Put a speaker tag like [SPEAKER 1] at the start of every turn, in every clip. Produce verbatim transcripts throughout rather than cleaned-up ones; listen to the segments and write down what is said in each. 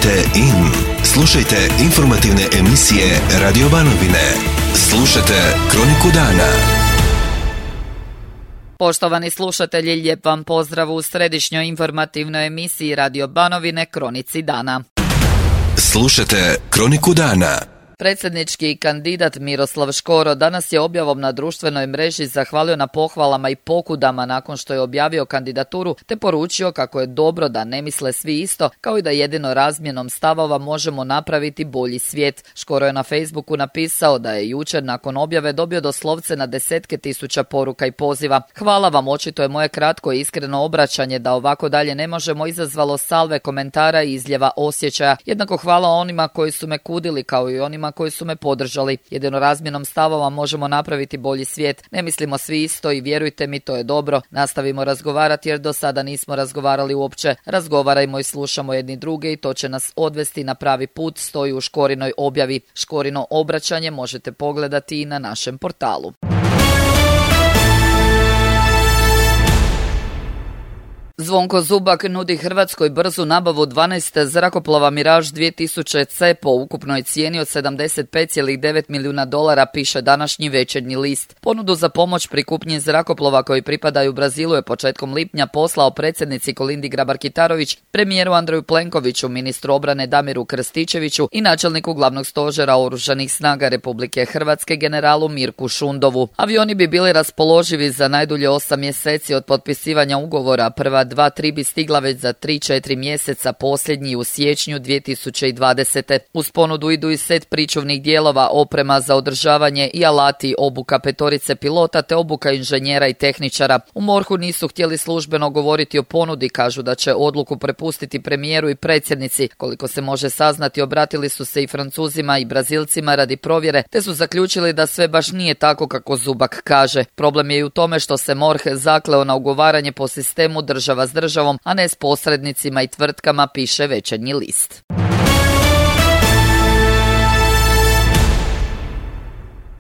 [SPEAKER 1] Kliknite in. Slušajte informativne emisije Radio Banovine. Slušajte Kroniku dana.
[SPEAKER 2] Poštovani slušatelji, lijep vam pozdrav u središnjoj informativnoj emisiji Radio Banovine Kronici dana.
[SPEAKER 1] Slušajte Kroniku dana.
[SPEAKER 2] Predsjednički kandidat Miroslav Škoro danas je objavom na društvenoj mreži zahvalio na pohvalama i pokudama nakon što je objavio kandidaturu, te poručio kako je dobro da ne misle svi isto, kao i da jedino razmjenom stavova možemo napraviti bolji svijet. Škoro je na Facebooku napisao da je jučer nakon objave dobio doslovce na desetke tisuća poruka i poziva. Hvala vam, očito je moje kratko i iskreno obraćanje da ovako dalje ne možemo izazvalo salve komentara i izljeva osjećaja. Jednako hvala onima koji su me kudili kao i onima koji su me podržali. Jedino razmjenom stavova možemo napraviti bolji svijet. Ne mislimo svi isto i vjerujte mi, to je dobro. Nastavimo razgovarati jer do sada nismo razgovarali uopće. Razgovarajmo i slušamo jedni druge i to će nas odvesti na pravi put, stoji u Škorinoj objavi. Škorino obraćanje možete pogledati i na našem portalu. Zvonko Zubak nudi Hrvatskoj brzu nabavu dvanaest zrakoplova Mirage dvije tisuće C po ukupnoj cijeni od sedamdeset pet zarez devet milijuna dolara, piše današnji Večernji list. Ponudu za pomoć pri kupnji zrakoplova koji pripadaju Brazilu je početkom lipnja poslao predsjednici Kolindi Grabar-Kitarović, premijeru Andreju Plenkoviću, ministru obrane Damiru Krstičeviću i načelniku glavnog stožera Oružanih snaga Republike Hrvatske generalu Mirku Šundovu. Avioni bi bili raspoloživi za najdulje osam mjeseci od potpisivanja ugovora. Prva dva tri bi stigla već za tri četiri mjeseca, posljednji u siječnju dvije tisuće dvadesete. Uz ponudu idu i set pričuvnih dijelova, oprema za održavanje i alati, obuka petorice pilota te obuka inženjera i tehničara. U MORH-u nisu htjeli službeno govoriti o ponudi, kažu da će odluku prepustiti premijeru i predsjednici. Koliko se može saznati, obratili su se i Francuzima i Brazilcima radi provjere, te su zaključili da sve baš nije tako kako Zubak kaže. Problem je i u tome što se MORH zakleo na ugovaranje po sistemu država s državom, a ne s posrednicima i tvrtkama, piše Večernji list.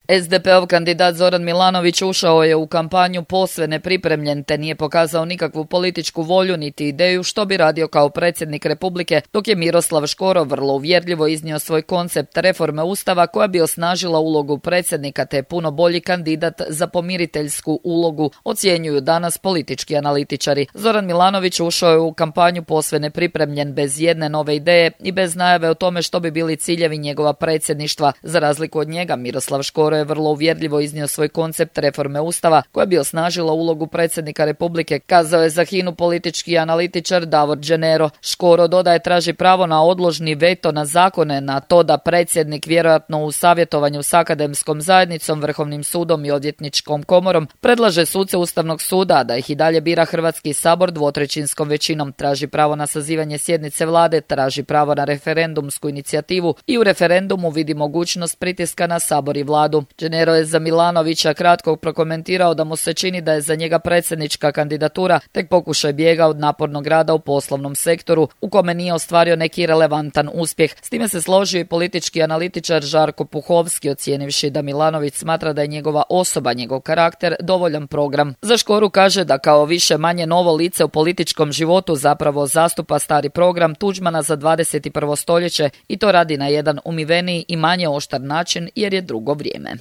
[SPEAKER 2] es de pe ov kandidat Zoran Milanović ušao je u kampanju posve nepripremljen te nije pokazao nikakvu političku volju niti ideju što bi radio kao predsjednik Republike, dok je Miroslav Škoro vrlo uvjerljivo iznio svoj koncept reforme Ustava koja bi osnažila ulogu predsjednika te puno bolji kandidat za pomiriteljsku ulogu, ocjenjuju danas politički analitičari. Zoran Milanović ušao je u kampanju posve nepripremljen, bez jedne nove ideje i bez najave o tome što bi bili ciljevi njegova predsjedništva. Za razliku od njega, Miroslav Škoro je vrlo uvjerljivo iznio svoj koncept reforme Ustava koja bi osnažila ulogu predsjednika Republike, kazao je za Hinu politički analitičar Davor Đenero. Škoro dodaje traži pravo na odložni veto na zakone, na to da predsjednik vjerojatno u savjetovanju s akademskom zajednicom, Vrhovnim sudom i odvjetničkom komorom predlaže suce Ustavnog suda, da ih i dalje bira Hrvatski sabor dvotrećinskom većinom, traži pravo na sazivanje sjednice vlade, traži pravo na referendumsku inicijativu i u referendumu vidi mogućnost pritiska na sabor i vladu. Đenero je za Milanovića kratko prokomentirao da mu se čini da je za njega predsjednička kandidatura tek pokušaj bijega od napornog rada u poslovnom sektoru u kome nije ostvario neki relevantan uspjeh. S time se složio i politički analitičar Žarko Puhovski, ocijenivši da Milanović smatra da je njegova osoba, njegov karakter dovoljan program. Za Škoru kaže da kao više manje novo lice u političkom životu zapravo zastupa stari program Tuđmana za dvadeset i prvo stoljeće i to radi na jedan umiveniji i manje oštar način jer je drugo vrijeme.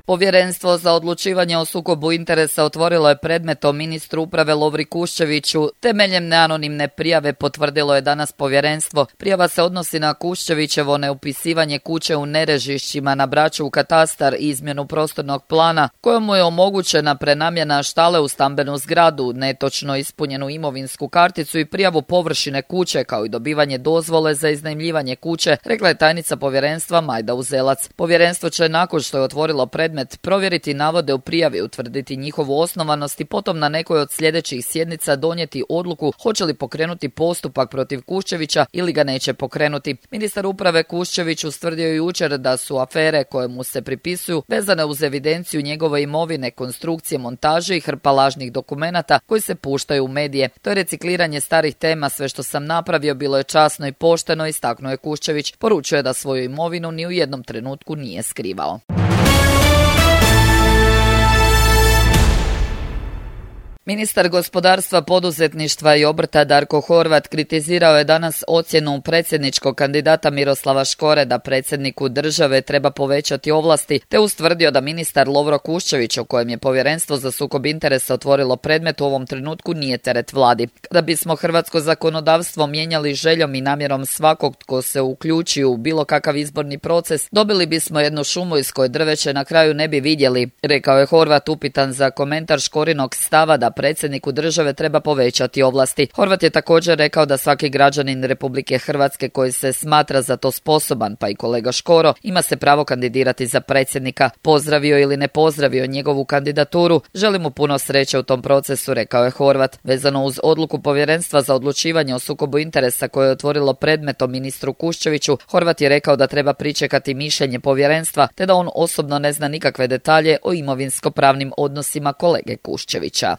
[SPEAKER 2] Povjerenstvo za odlučivanje o sukobu interesa otvorilo je predmet o ministru uprave Lovri Kuščeviću. Temeljem neanonimne prijave, potvrdilo je danas povjerenstvo. Prijava se odnosi na Kuščevićevo neupisivanje kuće u Nerežišćima na Braču u katastar i izmjenu prostornog plana, kojemu je omogućena prenamjena štale u stambenu zgradu, netočno ispunjenu imovinsku karticu i prijavu površine kuće, kao i dobivanje dozvole za iznajmljivanje kuće, rekla je tajnica povjerenstva Majda Uzelac. Povjerenstvo će nakon što je otvorilo predmet provjeriti navode u prijavi, utvrditi njihovu osnovanost i potom na nekoj od sljedećih sjednica donijeti odluku hoće li pokrenuti postupak protiv Kuščevića ili ga neće pokrenuti. Ministar uprave Kuščević ustvrdio jučer da su afere koje mu se pripisuju vezane uz evidenciju njegove imovine, konstrukcije, montaže i hrpa lažnih dokumenata koji se puštaju u medije. To je recikliranje starih tema, sve što sam napravio bilo je časno i pošteno, istaknuo je Kuščević. Poručuje da svoju imovinu ni u jednom trenutku nije skrivao. Ministar gospodarstva, poduzetništva i obrta Darko Horvat kritizirao je danas ocjenu predsjedničkog kandidata Miroslava Škore da predsjedniku države treba povećati ovlasti, te ustvrdio da ministar Lovro Kuščević, o kojem je Povjerenstvo za sukob interesa otvorilo predmet, u ovom trenutku nije teret vladi. Kada bismo hrvatsko zakonodavstvo mijenjali željom i namjerom svakog tko se uključi u bilo kakav izborni proces, dobili bismo jednu šumu iz koje drveće na kraju ne bi vidjeli, rekao je Horvat upitan za komentar Škorinog stava da predsjedniku države treba povećati ovlasti. Horvat je također rekao da svaki građanin Republike Hrvatske koji se smatra za to sposoban, pa i kolega Škoro, ima se pravo kandidirati za predsjednika. Pozdravio ili ne pozdravio njegovu kandidaturu, želim mu puno sreće u tom procesu, rekao je Horvat. Vezano uz odluku Povjerenstva za odlučivanje o sukobu interesa koje je otvorilo predmet o ministru Kuščeviću, Horvat je rekao da treba pričekati mišljenje Povjerenstva, te da on osobno ne zna nikakve detalje o imovinsko-pravnim odnosima kolege Kuščevića.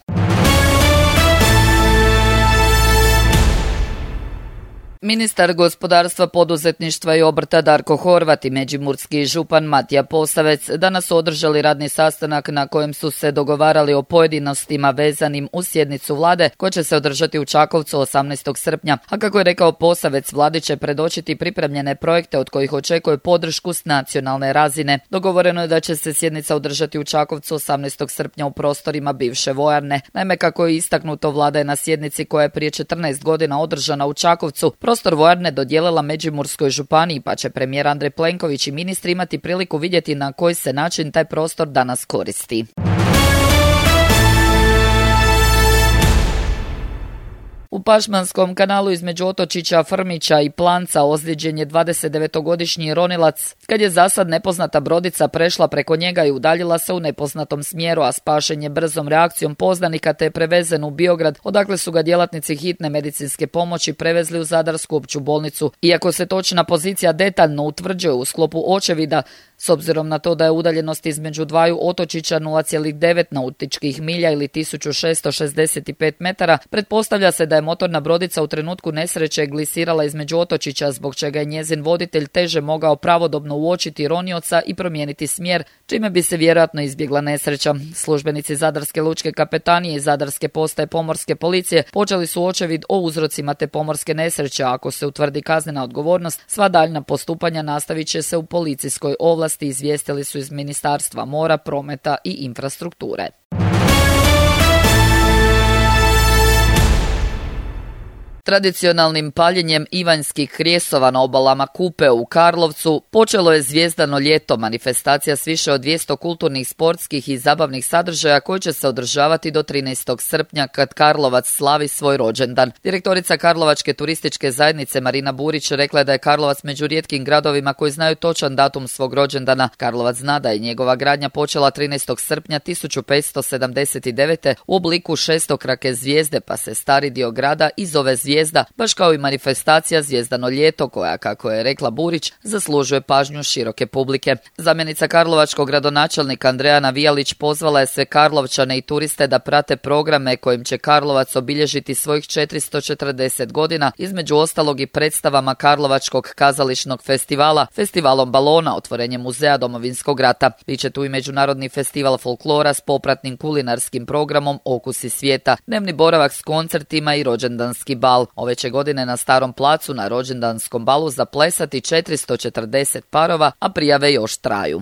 [SPEAKER 2] Ministar gospodarstva, poduzetništva i obrta Darko Horvat i međimurski župan Matija Posavec danas su održali radni sastanak na kojem su se dogovarali o pojedinostima vezanim uz sjednicu vlade koja će se održati u Čakovcu osamnaestog srpnja, a kako je rekao Posavec, vladi će predočiti pripremljene projekte od kojih očekuje podršku s nacionalne razine. Dogovoreno je da će se sjednica održati u Čakovcu osamnaestog srpnja u prostorima bivše vojarne. Naime, kako je istaknuto, vlada je na sjednici koja je prije četrnaest godina održana u Čakovcu prostor vojarne dodijelila Međimurskoj županiji, pa će premijer Andrej Plenković i ministri imati priliku vidjeti na koji se način taj prostor danas koristi. U Pašmanskom kanalu između otočića Frmića i Planca ozlijeđen je dvadesetdevetogodišnji ronilac kad je zasad nepoznata brodica prešla preko njega i udaljila se u nepoznatom smjeru, a spašen je brzom reakcijom poznanika te je prevezen u Biograd, odakle su ga djelatnici hitne medicinske pomoći prevezli u Zadarsku opću bolnicu. Iako se točna pozicija detaljno utvrđuje u sklopu očevida, s obzirom na to da je udaljenost između dvaju otočića nula zarez devet nautičkih milja ili tisuću šesto šezdeset pet metara, pretpostavlja se da je motorna brodica u trenutku nesreće glisirala između otočića, zbog čega je njezin voditelj teže mogao pravodobno uočiti ronioca i promijeniti smjer, čime bi se vjerojatno izbjegla nesreća. Službenici Zadarske lučke kapetanije i Zadarske postaje pomorske policije počeli su očevid o uzrocima te pomorske nesreće, a ako se utvrdi kaznena odgovornost, sva daljna postupanja nastavit će se u policijskoj ovlasti, izvijestili su iz Ministarstva mora, prometa i infrastrukture. Tradicionalnim paljenjem ivanjskih krijesova na obalama Kupe u Karlovcu počelo je Zvijezdano ljeto, manifestacija s više od dvjesto kulturnih, sportskih i zabavnih sadržaja koji će se održavati do trinaestog srpnja kad Karlovac slavi svoj rođendan. Direktorica Karlovačke turističke zajednice Marina Burić rekla je da je Karlovac među rijetkim gradovima koji znaju točan datum svog rođendana. Karlovac zna da je njegova gradnja počela trinaestog srpnja tisuću petsto sedamdeset devete. u obliku šestokrake zvijezde, pa se stari dio grada i zove Zvijezda. Zvijezda, baš kao i manifestacija Zvijezdano ljeto koja, kako je rekla Burić, zaslužuje pažnju široke publike. Zamjenica karlovačkog gradonačelnika Andreja Navijalić pozvala je sve Karlovčane i turiste da prate programe kojim će Karlovac obilježiti svojih četiristo četrdeset godina, između ostalog i predstavama Karlovačkog kazališnog festivala, festivalom balona, otvorenjem muzeja Domovinskog rata. Biće tu i međunarodni festival folklora s popratnim kulinarskim programom Okusi svijeta, dnevni boravak s koncertima i rođendanski bal. Ove će godine na Starom placu na rođendanskom balu zaplesati četiristo četrdeset parova, a prijave još traju.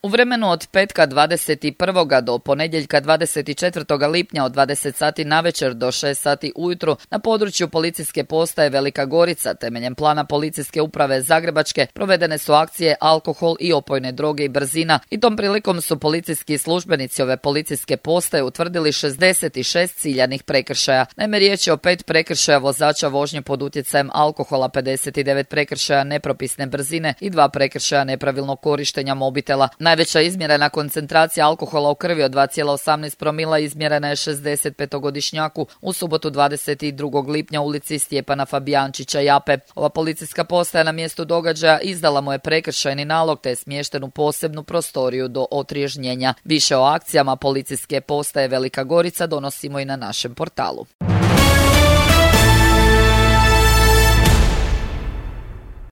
[SPEAKER 2] U vremenu od petka dvadeset prvog do ponedjeljka dvadeset četvrtog lipnja od dvadeset sati navečer do šest sati ujutro na području policijske postaje Velika Gorica temeljem plana policijske uprave Zagrebačke provedene su akcije alkohol i opojne droge i brzina i tom prilikom su policijski službenici ove policijske postaje utvrdili šezdeset šest ciljanih prekršaja. Naime, riječ je o pet prekršaja vozača vožnje pod utjecajem alkohola, pedeset devet prekršaja nepropisne brzine i dva prekršaja nepravilnog korištenja mobitela. Najveća izmjerena koncentracija alkohola u krvi od dva zarez osamnaest promila izmjerena je šezdesetpetogodišnjaku u subotu dvadeset drugog lipnja u ulici Stjepana Fabijančića Jape. Ova policijska postaja na mjestu događaja izdala mu je prekršajni nalog te je smješten u posebnu prostoriju do otriježnjenja. Više o akcijama policijske postaje Velika Gorica donosimo i na našem portalu.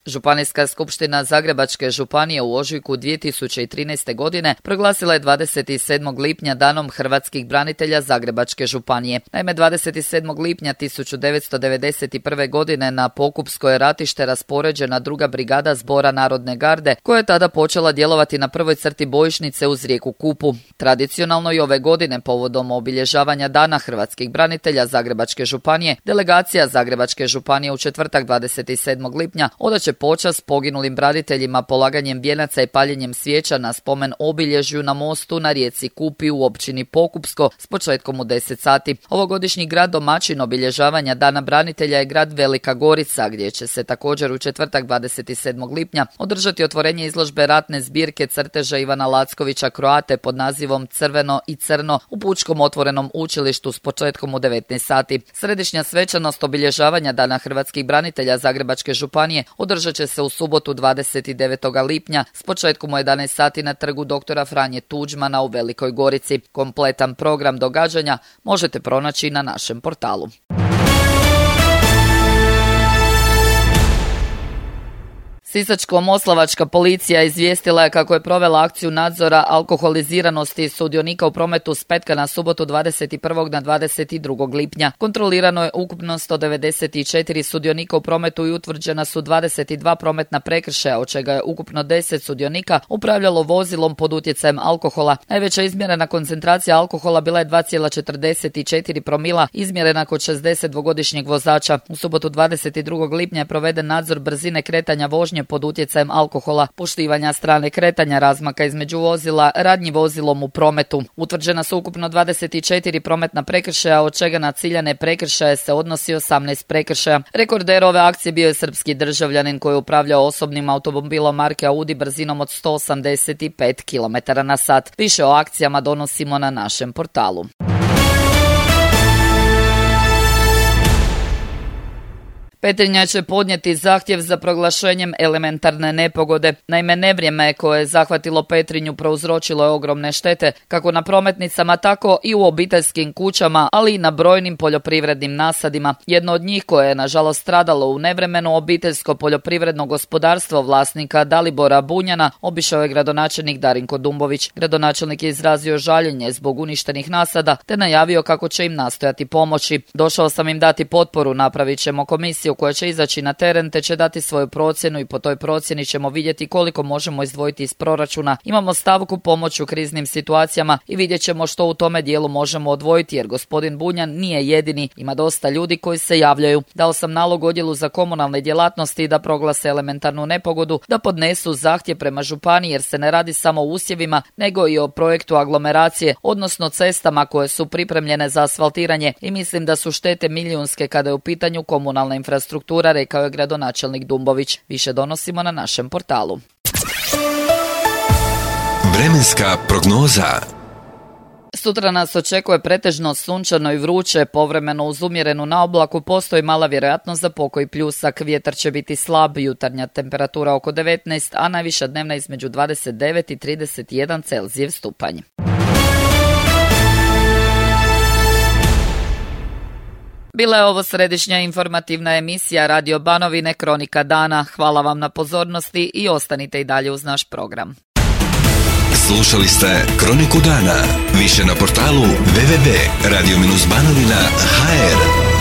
[SPEAKER 2] Županijska skupština Zagrebačke županije u ožujku dvije tisuće trinaeste. godine proglasila je dvadeset sedmog lipnja danom hrvatskih branitelja Zagrebačke županije. Naime, dvadeset sedmog lipnja tisuću devetsto devedeset prve. godine na Pokupsko je ratište raspoređena druga brigada Zbora narodne garde, koja je tada počela djelovati na prvoj crti bojišnice uz rijeku Kupu. Tradicionalno i ove godine povodom obilježavanja dana hrvatskih branitelja Zagrebačke županije, delegacija Zagrebačke županije u četvrtak dvadeset sedmog lipnja odaće počast poginulim braniteljima polaganjem vijenaca i paljenjem svijeća na spomen obilježju na mostu na rijeci Kupi u općini Pokupsko s početkom u deset sati. Ovogodišnji grad domaćin obilježavanja dana branitelja je grad Velika Gorica, gdje će se također u četvrtak dvadeset sedmog lipnja održati otvorenje izložbe ratne zbirke crteža Ivana Lackovića Kroate pod nazivom Crveno i crno u Pučkom otvorenom učilištu s početkom u devetnaest sati. Središnja svečanost obilježavanja dana hrvatskih branitelja Zagrebačke županije održat će se u subotu dvadeset devetog lipnja s početkom u jedanaest sati na trgu doktora Franje Tuđmana u Velikoj Gorici. Kompletan program događanja možete pronaći na našem portalu. Sisačko-moslavačka policija izvijestila je kako je provela akciju nadzora alkoholiziranosti sudionika u prometu s petka na subotu dvadeset prvog na dvadeset drugog lipnja. Kontrolirano je ukupno sto devedeset četiri sudionika u prometu i utvrđena su dvadeset dva prometna prekršaja, od čega je ukupno deset sudionika upravljalo vozilom pod utjecajem alkohola. Najveća izmjerena koncentracija alkohola bila je dva zarez četrdeset četiri promila, izmjerena kod šezdesetdvogodišnjeg vozača. U subotu dvadeset drugog lipnja je proveden nadzor brzine kretanja vožnje pod utjecajem alkohola, poštivanja strane kretanja, razmaka između vozila, radnji vozilom u prometu. Utvrđena su ukupno dvadeset četiri prometna prekršaja, od čega na ciljane prekršaje se odnosi osamnaest prekršaja. Rekorder ove akcije bio je srpski državljanin koji je upravljao osobnim automobilom marke Audi brzinom od sto osamdeset pet kilometara na sat. Više o akcijama donosimo na našem portalu. Petrinja će podnijeti zahtjev za proglašenjem elementarne nepogode. Naime, nevrijeme koje je zahvatilo Petrinju prouzročilo je ogromne štete, kako na prometnicama, tako i u obiteljskim kućama, ali i na brojnim poljoprivrednim nasadima. Jedno od njih koje je nažalost stradalo u nevremenu, obiteljsko poljoprivredno gospodarstvo vlasnika Dalibora Bunjana, obišao je gradonačelnik Darinko Dumbović. Gradonačelnik je izrazio žaljenje zbog uništenih nasada, te najavio kako će im nastojati pomoći. Došao sam im dati potporu, napravit ćemo komisiju koja će izaći na teren te će dati svoju procjenu i po toj procjeni ćemo vidjeti koliko možemo izdvojiti iz proračuna. Imamo stavku pomoć u kriznim situacijama i vidjet ćemo što u tome dijelu možemo odvojiti, jer gospodin Bunjan nije jedini, ima dosta ljudi koji se javljaju. Dao sam nalog odjelu za komunalne djelatnosti da proglase elementarnu nepogodu, da podnesu zahtjev prema županiji, jer se ne radi samo o usjevima, nego i o projektu aglomeracije, odnosno cestama koje su pripremljene za asfaltiranje, i mislim da su štete milijunske kada je u pitanju komunalna infrastruktura, rekao je gradonačelnik Dumbović. Više donosimo na našem portalu.
[SPEAKER 1] Vremenska prognoza.
[SPEAKER 2] Sutra nas očekuje pretežno sunčano i vruće, povremeno uz umjerenu naoblaku, postoji mala vjerojatnost za pokoj pljusak, vjetar će biti slab, jutarnja temperatura oko devetnaest, a najviša dnevna između dvadeset devet i trideset jedan Celzijev stupanj. Bila je ovo središnja informativna emisija Radio Banovine Kronika dana. Hvala vam na pozornosti i ostanite i dalje uz naš program.
[SPEAKER 1] Slušali ste Kroniku dana. Više na portalu w w w tačka radio banovina tačka h r.